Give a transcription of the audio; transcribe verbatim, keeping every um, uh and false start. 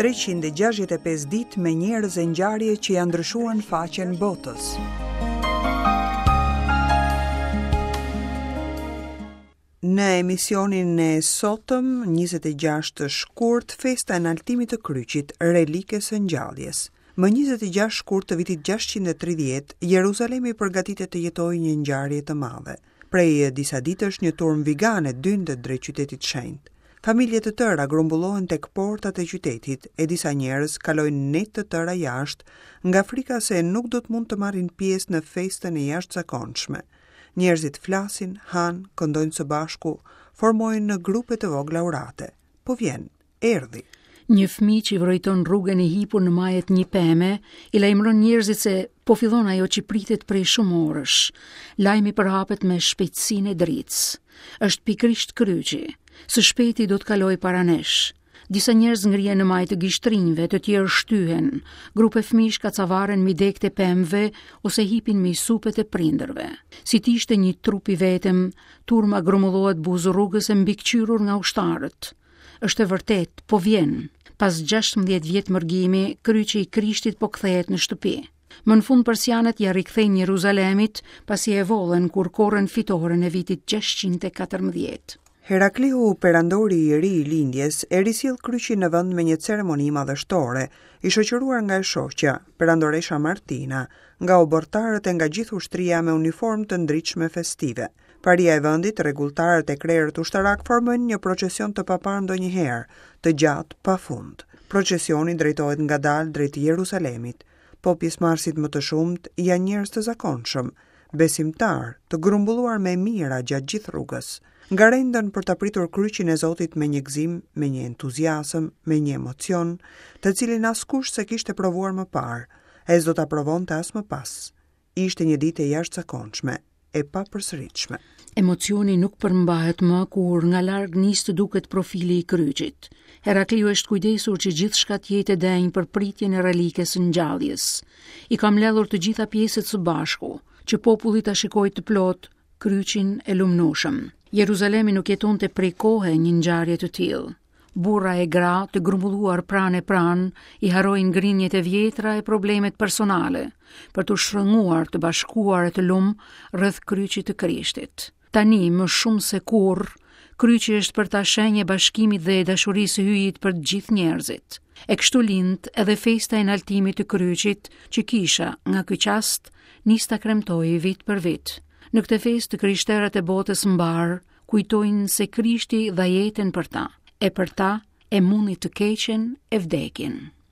treqind e gjashtëdhjetë e pesë ditë me njerëz e ngjarje që janë ndryshuar në faqen botës. Në emisionin e sotëm, njëzet e gjashtë shkurt, festa e naltimit të kryqit, relikes së ngjalljes. Më njëzet e gjashtë shkurt të vitit gjashtëqind e tridhjetë, Jeruzalemi përgatitet të jetojë një ngjarje të madhe. Prej disa ditësh një turm vigane dyndet drejt qytetit shenjt. Familje të tëra grumbullohen tek portat e qytetit e disa njerëz kalojnë net të tëra jashtë nga frika se nuk do të mund të marrin pjesë në festën e jashtëzakonshme. Njerëzit flasin, hanë, këndojnë së bashku, formojnë në grupe të vogla urate. Po vjen, erdhi. Një fëmijë që vrojton rrugën e hipur në majet një peme, i lajmëron njerëzit se po fillon ajo që pritet prej shumë orësh. Lajmi përhapet me shpejtësinë e dritës. Është pikërisht kryqi. Së shpejti do të kalojë para nesh. Disa njerëz ngrihen në majë të gishtrinjve, të tjerë shtyhen. Grupe fëmijësh kacavaren mbi degët e pemëve ose hipin mbi supet e prindërve. Si të ishte një trup i vetëm, turma grumbullohet buzë rrugës e mbikëqyrur nga ushtarët. Është e vërtet, po vjen. Pas gjashtëmbëdhjetë vjet mërgimi, kryqi i Krishtit po kthehet në shtëpi. Më në fund persianët ja rikthejnë Jeruzalemit, pasi e vollen kur korrën fitoren e vitit gjashtëqind e katërmbëdhjetë. Herakliu, perandori i ri i lindjes, e risill kryqin në vend me një ceremoni madhështore, i shoqëruar nga e shoqja, perandoresha Martina, nga oborrtarët e nga gjithë ushtria me uniformë të ndritshme festive. Paria e vendit, rregulltarët e krerët ushtarak formojnë një procesion të paparë ndonjëherë, të gjatë pa fund. Procesioni drejtohet ngadalë drejt Jerusalemit, po pjesëmarrësit më të shumtë janë njerëz të zakonshëm, besimtar, të grumbulluar me mijëra gjatë gjithë rrugës. Ngarendën për ta pritur kryqin e Zotit me një gëzim, me një entuziazëm, me një emocion, të cilin askush s'e kishte provuar më parë, e s'do ta provonte as më pas. Ishte një ditë e jashtëzakonshme, e papërsëritshme. Emocioni nuk përmbahet më kur nga larg nis të duket profili i kryqit. Herakliu është kujdesur që gjithçka të jetë e denjë për pritjen e relikes së ngjalljes. I ka mbledhur të gjitha pjesët së bashku, që populli ta shikojë të plot kryqin e lumnueshëm. Jeruzalemi nuk jetonte prej kohe një ngjarje të tillë. Burra e gra të grumbulluar pranë e pranë i harrojnë grinjet e vjetra e problemet personale për t'u shtrënguar të bashkuar e të lum rreth kryqit të Krishtit. Tani më shumë se kurrë, kryqi është për ta shenjë e bashkimit dhe e dashurisë së Hyjit për të gjithë njerëzit. E kështu lind edhe festa e naltimit të kryqit që kisha nga ky çast nis ta kremtojë vit për vit. Në këtë festë të krishterët e botës mbar kujtojnë se Krishti dha jetën për ta, e për ta e mundi të keqen e vdekjen.